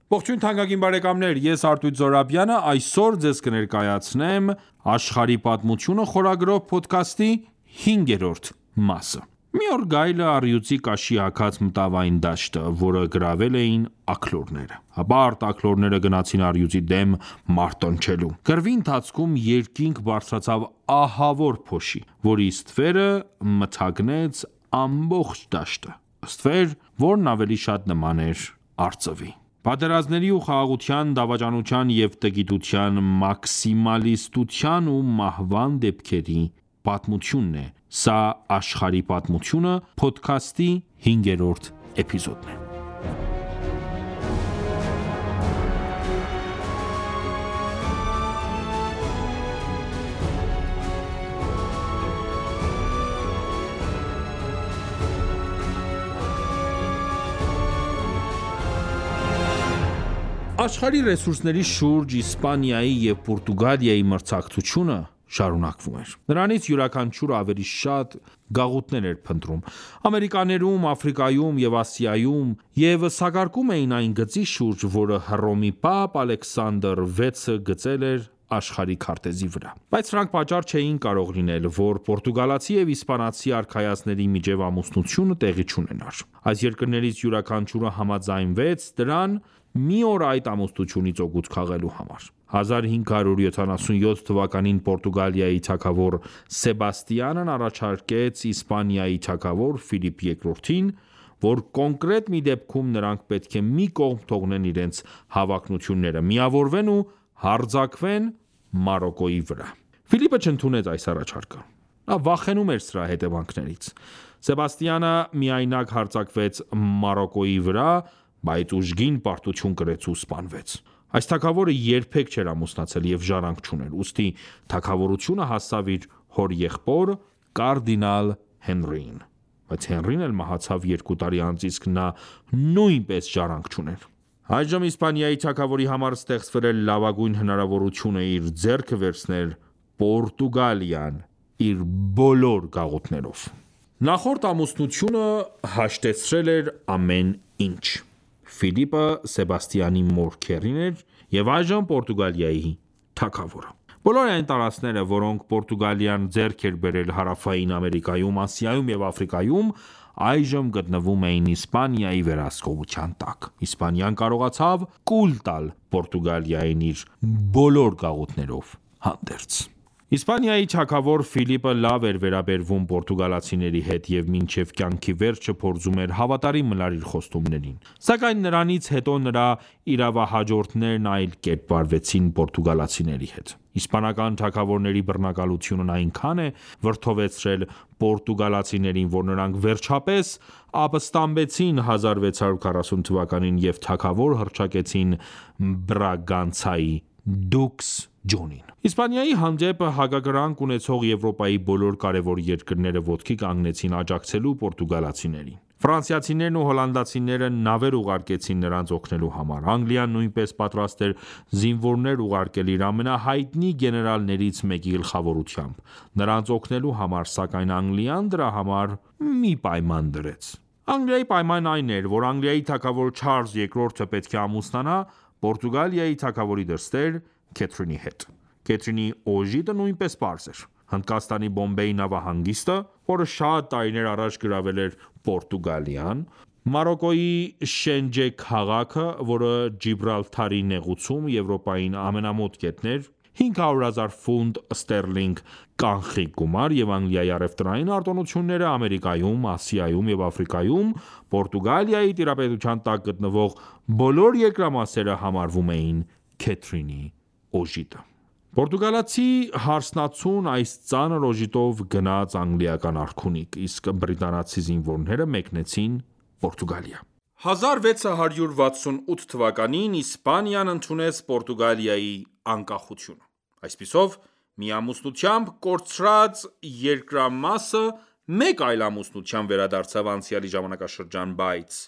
Ողջույն թանկագին բարեկամներ, ես Արտույտ Զոհրաբյանը այսօր ձեզ կներկայացնեմ «Աշխարհի պատմությունը» խորագրով փոդքասթի 5-րդ մասը։ Մի օր գայլը առյուծի կաշի հագած մտավ այն դաշտը, որը գրավել էին աքլորները։ Հպարտ աքլորները գնացին առյուծի դեմ մարտնչելու։ Կռվի ընթացքում երկինք բարձրացավ ահավոր փոշի, որի ստվերը մթագնեց ամբողջ դաշտը, ստվեր, որն ավելի շատ նման էր արծվի։ Պատերազմների ու խաղաղության, դավաճանության և տգիտության, մաքսիմալիստության ու մահվան դեպքերի պատմությունն է։ Սա «Աշխարհի պատմությունը» փոդքասթի 5-րդ էպիզոդն է։ Աշխարհի ռեսուրսների շուրջ Իսպանիայի և Պորտուգալիայի մրցակցությունը շարունակվում էր։ Նրանից յուրաքանչյուրը ավելի շատ գաղութներ էր փնտրում։ Ամերիկաներում, Աֆրիկայում և Ասիայում և սակարկում էին այն գծի շուրջ, որը Հռոմի Պապ Ալեքսանդր 6-ը գծել էր աշխարհի քարտեզի վրա։ Բայց սրանք պատճառ չէին կարող լինել, որ պորտուգալացի և իսպանացի արքայազնների միջև ամուսնությունը տեղի չունենար։ Այս երկրներից յուրաքանչյուրը համաձայնվեց դրան մի օր այդ ամուսնությունից օգուտ քաղելու համար։ 1577 թվականին Պորտուգալիայի թագավոր Սեբաստիանն առաջարկեց Իսպանիայի թագավոր Ֆիլիպ II-ին, որ կոնկրետ մի դեպքում նրանք պետք է մի կողմ թողնեն իրենց հավակնությունները, միավորվեն ու հարձակվեն Մարոկկոյի վրա։ Ֆիլիպը չընդունեց այս առաջարկը։ Նա վախենում էր սրա հետևանքներից։ Սեբաստիանը միայնակ հարձակվեց Մարոկկոյի վրա, բայց ուժգին պարտություն կրեց ու սպանվեց։ Այս թագավորը երբեք չէր ամուսնացել և ժառանգ չուներ, ուստի թագավորությունը հասավ իր հորեղբոր կարդինալ Հենրիին։ Բայց Հենրին էլ մահացավ 2 տարի անց, իսկ նա նույնպես ժառանգ չուներ։ Այժմ Իսպանիայի թագավորի համար ստեղծվել էր լավագույն հնարավորությունը իր ձեռքը վերցնել Պորտուգալիան իր բոլոր գաղութներով։ Նախորդ ամուսնությունը հաշտեցրել էր ամեն ինչ։ Ֆիլիպը Սեբաստիանի մոր քեռին էր և այժմ Պորտուգալիայի թագավորը։ Բոլոր այն տարածքները, որոնք Պորտուգալիան ձեռք էր բերել Հարավային Ամերիկայում, Ասիայում և Աֆրիկայում, այժմ գտնվում էին Իսպանիայի վերահսկողության տակ։ Իսպանիան կարողացավ կուլ տալ Պորտուգալիային իր բոլոր գաղութներով հանդերձ։ Իսպանիայի թագավոր Ֆիլիպը լավ էր վերաբերվում պորտուգալացիների հետ և մինչև կյանքի վերջը փորձում էր հավատարիմ մնալ իր խոստումներին։ Սակայն նրանից հետո նրա իրավահաջորդներն այլ կերպ վարվեցին պորտուգալացիների հետ։ Իսպանական թագավորների բռնակալությունն այնքան է վրդովեցրել պորտուգալացիներին, որ նրանք վերջապես ապստամբեցին 1640 թվականին և թագավոր հռչակեցին Բրագանցայի դուքս Ջոնին։ Իսպանիայի հանդեպ հակակրանք ունեցող Եվրոպայի բոլոր կարևոր երկրները ոտքի կանգնեցին աջակցելու պորտուգալացիներին։ Ֆրանսիացիներն ու հոլանդացիները նավեր ուղարկեցին նրանց օգնելու համար։ Անգլիան նույնպես պատրաստ էր զինվորներ ուղարկել իր ամենահայտնի գեներալներից մեկի գլխավորությամբ նրանց օգնելու համար, սակայն Անգլիան դրա համար մի պայման դրեց։ Անգլիայի պայմանն այն էր, որ Անգլիայի թագավոր Չարլզ II-ը պետք է ամուսնանա Պորտուգալիայի թագավորի դստեր Քեթրինի հետ։ Քեթրինի օժիտը նույնպես պարզ էր։ Հնդկաստանի Բոմբեյ նավահանգիստը, որը շատ տարիներ առաջ գրավել էր Պորտուգալիան, Մարոկկոյի Շենջե քաղաքը, որը Ջիբրալթարի նեղուցում Եվրոպային ամենամոտ կետն էր, 500,000 ֆունտ ստերլինգ կանխիկ գումար և Անգլիայի առևտրային արտոնությունները Ամերիկայում, Ասիայում և Աֆրիկայում Պորտուգալիայի տիրապետության տակ գտնվող բոլոր երկրամասերը համարվում էին Քեթրինի օժիտը։ Պորտուգալացի հարսնացուն այս ծանր օժիտով գնաց անգլիական արքունիք, իսկ բրիտանացի զինվորները մեկնեցին Պորտուգալիա։ 1668 թվականին Իսպանիան ընդունեց Պորտուգալիայի անկախությունը։ Այսպիսով, մի ամուսնությամբ կորցրած երկրամասը մեկ այլ ամուսնությամբ վերադարձավ անցյալի ժամանակաշրջան, բայց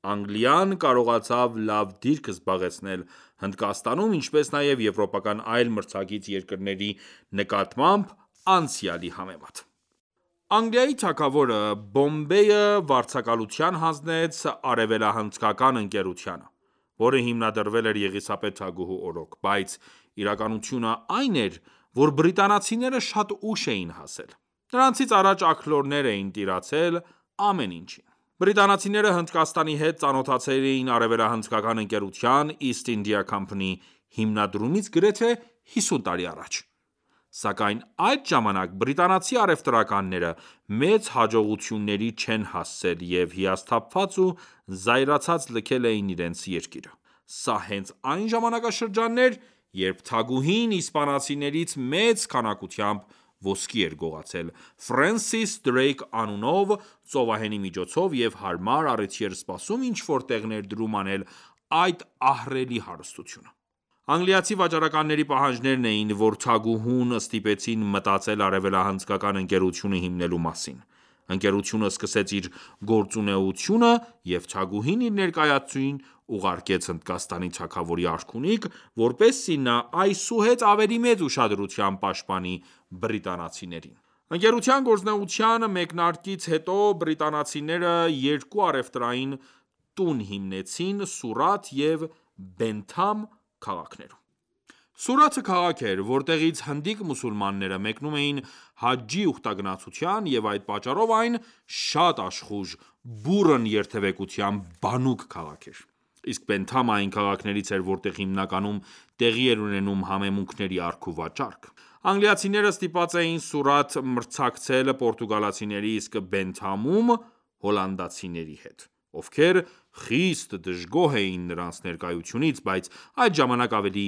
Անգլիան կարողացավ լավ դիրք զբաղեցնել Հնդկաստանում, ինչպես նաև եվրոպական այլ մրցակից երկրների նկատմամբ անցյալի համեմատ։ Անգլիայի թագավորը Բոմբեյը վարձակալության հանձնեց արևելահնդկական ընկերությանը, որը հիմնադրվել էր Եղիսաբեթ թագուհու օրոք, բայց իրականությունը այն էր, որ բրիտանացիները շատ ուշ էին հասել: Նրանցից առաջ աքլորներ էին տիրացել ամեն ինչին: Բրիտանացիները Հնդկաստանի հետ ծանոթացել էին արևելահնդկական ընկերության East India Company հիմնադրումից գրեթե 50 տարի առաջ: Սակայն այդ ժամանակ բրիտանացի առևտրականները մեծ հաջողությունների չեն հասել և հիասթափված ու զայրացած լքել էին իրենց երկիրը: Սա հենց այն ժամանակաշրջանն էր, երբ թագուհին իսպանացիներից մեծ քանակությամբ ոսկի էր գողացել Ֆրենսիս Դրեյք անունով ծովահենի միջոցով և հարմար առիթի էր սպասում ինչ-որ տեղ ներդրում անել այդ ահռելի հարստությունը: Անգլիացի վաճառականների պահանջներն էին, որ թագուհուն ստիպեցին մտածել արևելահնդկական ընկերություն հիմնելու մասին: Ընկերությունը սկսեց իր գործունեությունը և թագուհին իր ներկայացուցիչին ուղարկեց Հնդկաստանի թագավորի արքունիք, որպեսզի նա այսուհետ ավելի մեծ ուշադրությամբ պաշտպանի բրիտանացիներին: Ընկերության գործունեության մեկնարկից հետո բրիտանացիները երկու առևտրային տուն հիմնեցին Սուրաթ և Բենթամ քաղաքներում: Սուրաթը քաղաք էր, որտեղից հնդիկ մուսուլմանները մեկնում էին հաջջի ուխտագնացության և այդ պատճառով այն շատ աշխույժ, բուռն երթևեկությամբ բանուկ քաղաք էր: Իսկ Բենթամը այն քաղաքներից էր, որտեղ հիմնականում տեղի էր ունենում համեմունքների առք ու վաճառք: Անգլիացիները ստիպված էին Սուրաթ մրցակցել պորտուգալացիների, իսկ Բենթամում հոլանդացիների հետ, ովքեր խիստ դժգոհ էին նրանց ներկայությունից, բայց այդ ժամանակ ավելի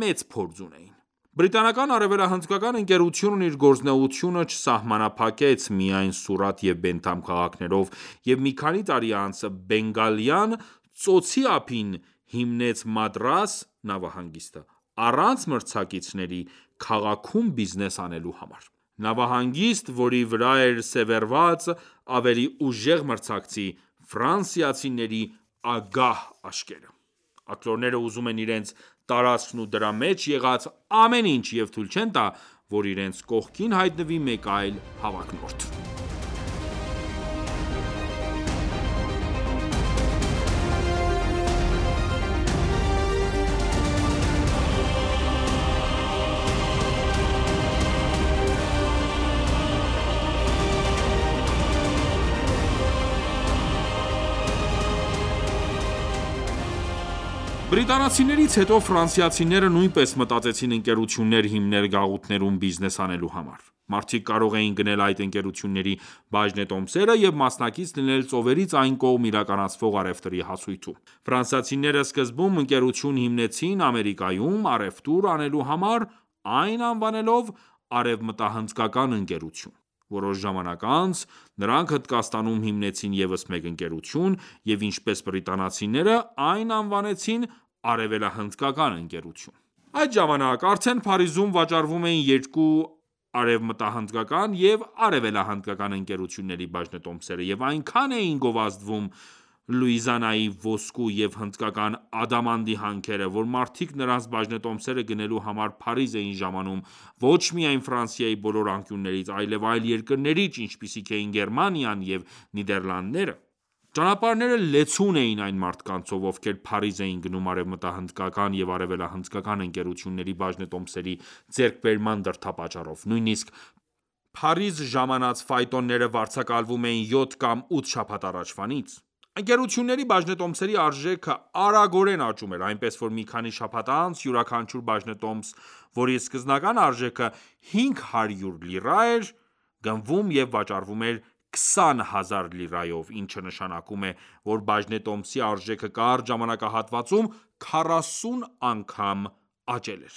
մեծ փորձ ունեին: Բրիտանական արևելահնդկական ընկերությունն իր գործունեությունը չսահմանափակեց միայն Սուրաթ և Բենթամ քաղաքներով և մի քանի տարի անց Բենգալյան ծոցի ափին հիմնեց Մադրաս նավահանգիստը, առանց մրցակիցների քաղաքում բիզնես անելու համար: Նավահանգիստ, որի վրա էր սևեռված ավելի ուժեղ մրցակցի՝ ֆրանսիացիների ագահ աչքերը: Աքլորները ուզում են իրենց տարածքն ու դրա մեջ եղած ամեն ինչ և թույլ չեն տա, որ իրենց կողքին հայտնվի մեկ այլ հավակնորդ: Բրիտանացիներից հետո ֆրանսիացիները նույնպես մտածեցին ընկերություններ հիմնել գաղութներում բիզնես անելու համար: Մարդիկ կարող էին գնել այդ ընկերությունների բաժնետոմսերը և մասնակից լինել ծովերից այն կողմ իրականացվող առևտրի հասույթում: Ֆրանսիացիները սկզբում ընկերություն հիմնեցին Ամերիկայում առևտուր անելու համար, այն անվանելով Արևմտահնդկական ընկերություն: Որոշ ժամանակ անց նրանք Հնդկաստանում հիմնեցին ևս մեկ ընկերություն և ինչպես բրիտանացիները այն անվանեցին Արևելահնդկական ընկերություն: Այդ ժամանակ արդեն Փարիզում վաճառվում էին երկու արևմտահնդկական և արևելահնդկական ընկերությունների բաժնետոմսերը և այնքան էին գովազդվում Լուիզիանայի ոսկու և հնդկական ադամանդի հանքերը, որ մարդիկ նրանց բաժնետոմսերը գնելու համար Փարիզ էին ժամանում ոչ միայն Ֆրանսիայի բոլոր անկյուններից, այլև այլ երկրներից, ինչպիսիք էին Գերմանիան և Նիդերլանդները: Ճանապարհները լեցուն էին այն մարդկանցով, ովքեր Փարիզ էին գնում արևմտահնդկական և արևելահնդկական ընկերությունների բաժնետոմսերի ձեռքբերման դրդապատճառով: Նույնիսկ Փարիզ ժամանած ֆայտոնները վարձակալվում էին 7 կամ 8 շաբաթ առաջվանից: Ընկերությունների բաժնետոմսերի արժեքը արագորեն աճում էր, այնպես որ մի քանի շաբաթ անց յուրաքանչյուր բաժնետոմս, որի սկզբնական արժեքը 500 լիրա էր, գնվում և վաճառվում էր 20,000 լիրայով, ինչը նշանակում է, որ բաժնետոմսի արժեքը կարճ ժամանակահատվածում 40 անգամ աճել էր: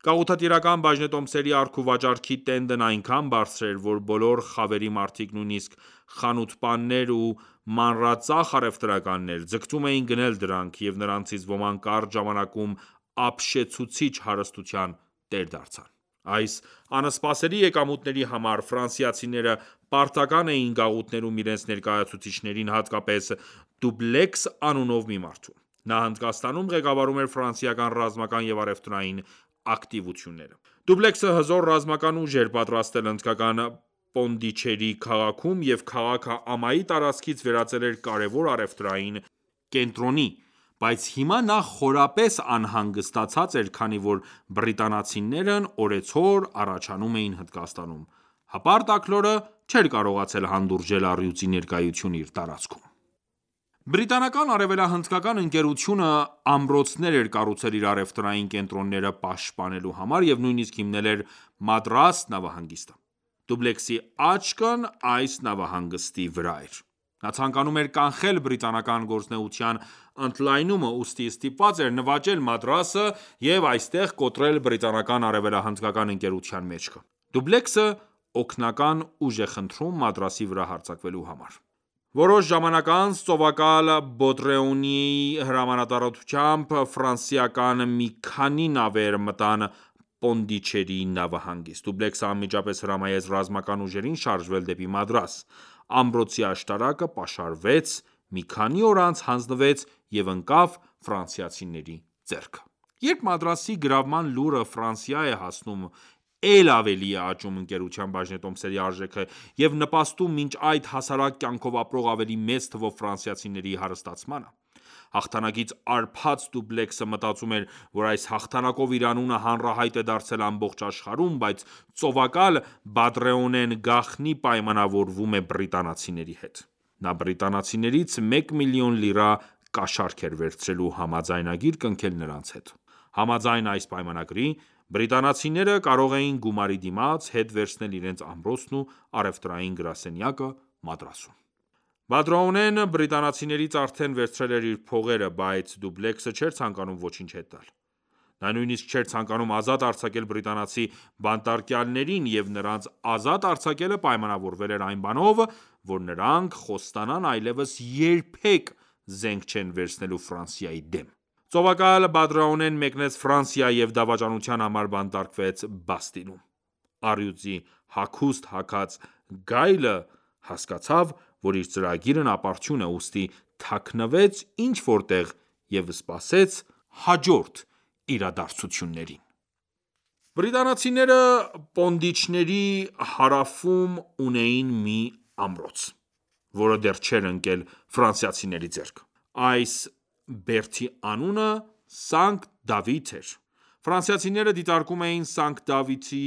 Գաղութատիրական բաժնետոմսերի առք-ու-վաճառքի տենդն այնքան բարձր էր, որ բոլոր խավերի մարդիկ, նույնիսկ խանութպաններ ու մանրածախ առևտրականներ, ձգտում էին գնել դրանք, և նրանցից ոմանք կարճ ժամանակում ապշեցուցիչ հարստության տեր դարձան: Այս անսպասելի եկամուտների համար ֆրանսիացիները պարտական էին գաղութներում իրենց ներկայացուցիչներին, հատկապես Դուբլեքս անունով մի մարդու: Նա Հնդկաստանում ղեկավարում էր ֆրանսիական ռազմական և առևտրային ակտիվությունները: Դուբլեքսը հզոր ռազմական ուժ էր պատրաստել հնդկական Պոնդիչերի քաղաքում և քաղաքը ամայի տարածքից վերածել էր կարևոր առևտրային կենտրոնի: Բայց հիմա նա խորապես անհանգստացած էր, քանի որ բրիտանացիներն օրեցօր առաջանում էին Հնդկաստանում։ Հպարտ աքլորը չէր կարողացել հանդուրժել առյուծի ներկայությունը իր տարածքում։ Բրիտանական արևելահնդկական ընկերությունը ամրոցներ էր կառուցել իր առևտրային կենտրոնները պաշտպանելու համար և նույնիսկ հիմնել էր Մադրաս նավահանգիստը։ Դուբլեքսի աչքն այս նավահանգստի վրա էր։ Նա ցանկանում էր կանխել բրիտանական գործունեության ընդլայնումը, ուստի ստիպված էր նվաճել Մադրասը և այստեղ կոտրել բրիտանական արևելահնդկական ընկերության մեջքը։ Դուբլեքսը օգնական ուժ է խնդրում Մադրասի վրա հարձակվելու համար։ Որոշ ժամանակ անց ծովակալ Բոտրեունիի հրամանատարությամբ ֆրանսիական մի քանի նավեր մտան Պոնդիչերի նավահանգիստ։ Դուբլեքսը անմիջապես հրամայեց ռազմական ուժերին շարժվել դեպի Մադրաս։ Ամրոցի աշտարակը պաշարվեց, մի քանի օր անց հանձնվեց և ընկավ ֆրանսիացիների ձեռքը։ Երբ Մադրասի գրավման լուրը Ֆրանսիա է հասնում, էլ ավելի է աճում ընկերության բաժնետոմսերի արժեքը և նպաստում մինչ այդ հասարակ կյանքով ապրող ավելի մեծ թվով ֆրանսիացիների հարստացմանը։ Հաղթանակից արբած Դուբլեքսը մտածում էր, որ այս հաղթանակով իր անունը հանրահայտ է դարձել ամբողջ աշխարհում, բայց ծովակալ Բադրեոնեն գաղտնի պայմանավորվում է բրիտանացիների հետ։ Նա բրիտանացիներից 1 միլիոն լիրա կաշառք էր վերցրելու համաձայնագիր կնքել նրանց հետ։ Համաձայն այս պայմանագրի, բրիտանացիները կարող էին գումարի դիմաց հետ վերցնել իրենց ամրոցն ու առևտրային գրասենյակը Մադրասում։ Բադրեոնեն բրիտանացիներից արդեն վերցրել էր իր փողերը, բայց Դուբլեքսը չէր ցանկանում ոչինչ հետ տալ։ Նա նույնիսկ չէր ցանկանում ազատ արձակել բրիտանացի բանտարկյալներին, և նրանց ազատ արձակելը պայմանավորվել էր այն բանով, որ նրանք խոստանան այլևս երբեք զենք չեն վերցնելու Ֆրանսիայի դեմ։ Ծովակալ Բադրեոնեն մեկնեց Ֆրանսիա և դավաճանության համար բանտարկվեց Բաստիլում։ Առյուծի հագուստ հագած գայլը հասկացավ, որ իր ծրագիրն ապարդյուն է, ուստի թաքնվեց ինչ-որ տեղ և սպասեց հաջորդ իրադարձություններին։ Բրիտանացիները Պոնդիչների հարավում ունեին մի ամրոց, որը դեռ չէր ընկել ֆրանսիացիների ձեռք։ Այս բերդի անունը Սանկտ Դավիթ էր։ Ֆրանսիացիները դիտարկում էին Սանկտ Դավիթի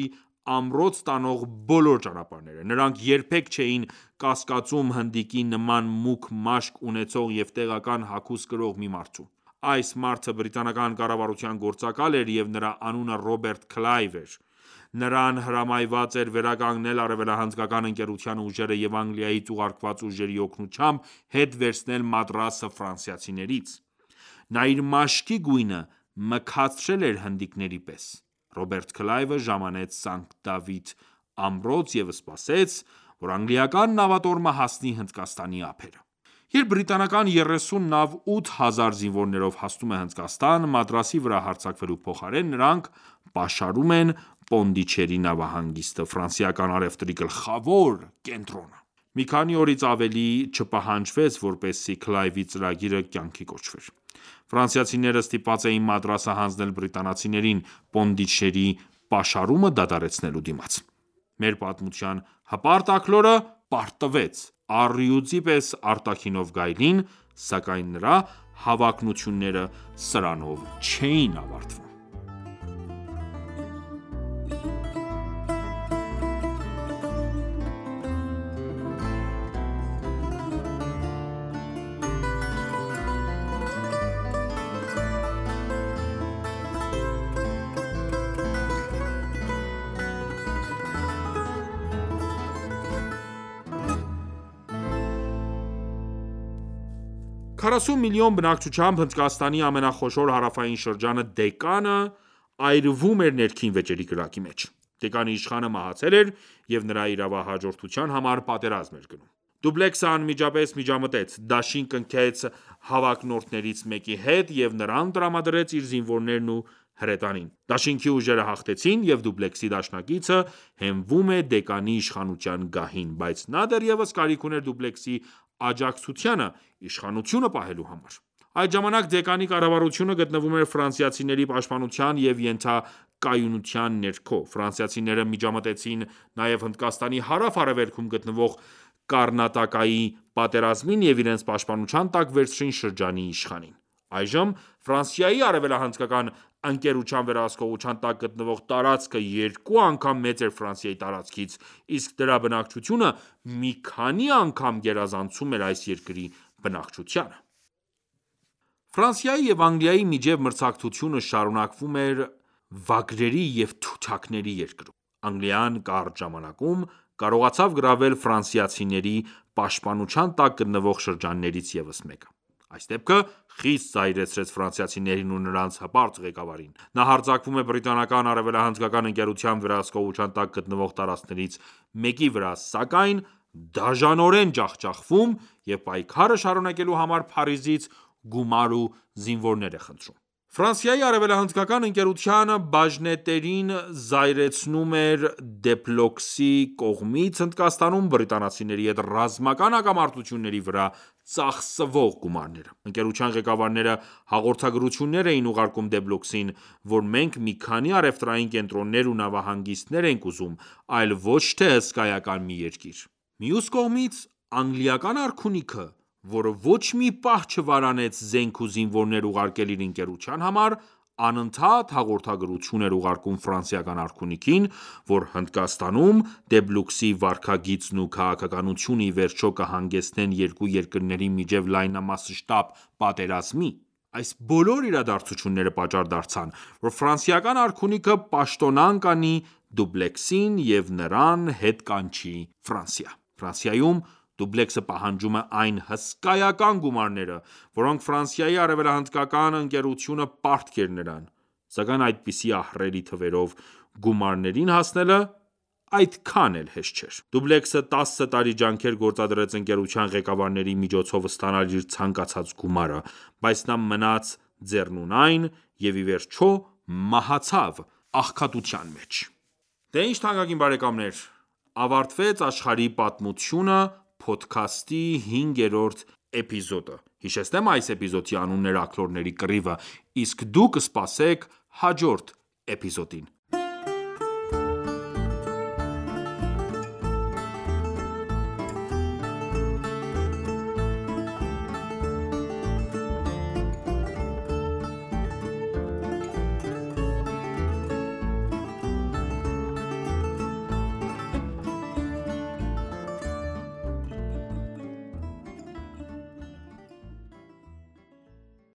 ամրոց տանող բոլոր ճանապարհները։ Նրանք երբեք չէին կասկածում հնդիկի նման մուգ մաշկ ունեցող և տեղական հագուստ կրող մի մարդու։ Այս մարդը բրիտանական կառավարության գործակալ էր և նրա անունը Ռոբերտ Քլայվ էր։ Նրան հրամայված էր վերականգնել արևելահնդկական ընկերության ուժերը և Անգլիայից ուղարկված ուժերի օգնությամբ հետ վերցնել Մադրասը ֆրանսիացիներից։ Նա իր մաշկի գույնը մքացրել էր հնդիկների պես։ Ռոբերտ Քլայվը ժամանեց Սանկտ Դավիթ ամրոց և սպասեց, որ անգլիական նավատորմը հասնի Հնդկաստանի ափերը։ Երբ բրիտանական 30 նավ 8000 զինվորներով հասնում է Հնդկաստան, Մադրասի վրա հարձակվելու փոխարեն, նրանք պաշարում են Պոնդիչերի նավահանգիստը, ֆրանսիական առևտրի գլխավոր կենտրոնը։ Մի քանի օրից ավելի չպահանջվեց, որպեսզի Քլայվի ծրագիրը կյանքի կոչվեր։ Ֆրանսիացիները ստիպված էին Մադրասը հանձնել բրիտանացիներին Պոնդիչերի պաշարումը դադարեցնելու դիմաց։ Մեր պատմության հպարտ աքլորը պարտվեց առյուծի պես արտաքինով գայլին, սակայն նրա հավակնությունները սրանով չէին ավարտվում։ Քառասուն միլիոն բնակչությամբ Հնդկաստանի ամենախոշոր հարավային շրջանը Դեկանը այրվում էր ներքին վեճերի կրակի մեջ։ Դեկանի իշխանը մահացել էր և նրա իրավահաջորդության համար պատերազմ էր գնում։ Դուբլեքսը անմիջապես միջամտեց, դաշին կնքեց հավակնորդներից մեկի հետ և նրան տրամադրեց իր զինվորներն ու հրետանին։ Դաշինքի ուժերը հաղթեցին, և Դուբլեքսի դաշնակիցը հենվում է Դեկանի իշխանության գահին, բայց նա դեռևս կարիք ուներ Դուբլեքսի աջակցությանը իշխանությունը պահելու համար։ Այդ ժամանակ Դեկանի կառավարությունը գտնվում էր ֆրանսիացիների պաշտպանության և ենթակայունության ներքո։ Ֆրանսիացիները միջամտեցին նաև Հնդկաստանի հարավ-արևելքում գտնվող Կառնատակայի պատերազմին և իրենց պաշտպանության տակ վերցրին շրջանի իշխանին։ Այժմ Ֆրանսիայի արևելահնդկական ընկերության վերահսկողության տակ գտնվող տարածքը 2 անգամ մեծ էր Ֆրանսիայի տարածքից, իսկ դրա բնակչությունը մի քանի անգամ գերազանցում էր այս երկրի բնակչությանը։ Ֆրանսիայի և Անգլիայի միջև մրցակցությունը շարունակվում էր վագրերի և թութակների երկրում։ Անգլիան կարճ ժամանակում կարողացավ գրավել ֆրանսիացիների պաշտպանության տակ գտնվող շրջաններից ևս մեկը։ Այս դեպքը խիստ զայրացրեց ֆրանսիացիներին ու նրանց հպարտ ղեկավարին։ Նա հարձակվում է բրիտանական արևելահնդկական ընկերության վերահսկողության տակ գտնվող տարածքներից մեկի վրա, սակայն դաժանորեն ջախջախվում և պայքարը շարունակելու համար Փարիզից գումար ու զինվորներ է խնդրում։ Ֆրանսիայի արևելահնդկական ընկերության բաժնետերին զայրացնում էր Դեփլոկսի կողմից Հնդկաստանում բրիտանացիների հետ ռազմական հակամարտությունների վրա ծախսվող գումարները։ Ընկերության ղեկավարները հաղորդագրություններ էին ուղարկում Դեփլոկսին, որ մենք մի քանի առևտրային կենտրոններ ու նավահանգիստներ ենք ուզում, այլ ոչ թե հսկայական մի երկիր։ Մյուս կողմից, անգլիական արքունիքը, որը ոչ մի պահ չվարանեց զենք ու զինվորներ ուղարկել իր ընկերության համար, անընդհատ հաղորդագրություն էր ուղարկում ֆրանսիական արքունիքին, որ Հնդկաստանում Դեփլոկսի վարքագիծն ու քաղաքականությունը ի վերջո կհանգեցնեն երկու երկրների միջև լայնամասշտաբ պատերազմի։ Այս բոլոր իրադարձությունները պատճառ դարձան, որ ֆրանսիական արքունիքը պաշտոնանկ անի դուպլեքսին և նրան հետ կանչի Ֆրանսիա։ Ֆրանսիայում դուպլեքսը պահանջում է այն հսկայական գումարները, որոնք Ֆրանսիայի արևելահնդկական ընկերությունը պարտք էր նրան, սակայն այդպիսի ահռելի թվերով գումարներին հասնելը այդքան էլ հեշտ չէր։ Դուպլեքսը 10 տարի ջանքեր գործադրեց ընկերության ղեկավարների միջոցով ստանալ իր ցանկացած գումարը, բայց նա մնաց ձեռնունայն և ի վերջո մահացավ աղքատության մեջ։ Դե ինչ թանկագին բարեկամներ, ավարտվեց «Աշխարհի պատմությունը» փոդքասթի 5-րդ էպիզոդը։ Հիշեցնեմ այս էպիզոդի անունն էր «Աքլորների կռիվը», իսկ դուք սպասեք հաջորդ էպիզոդին։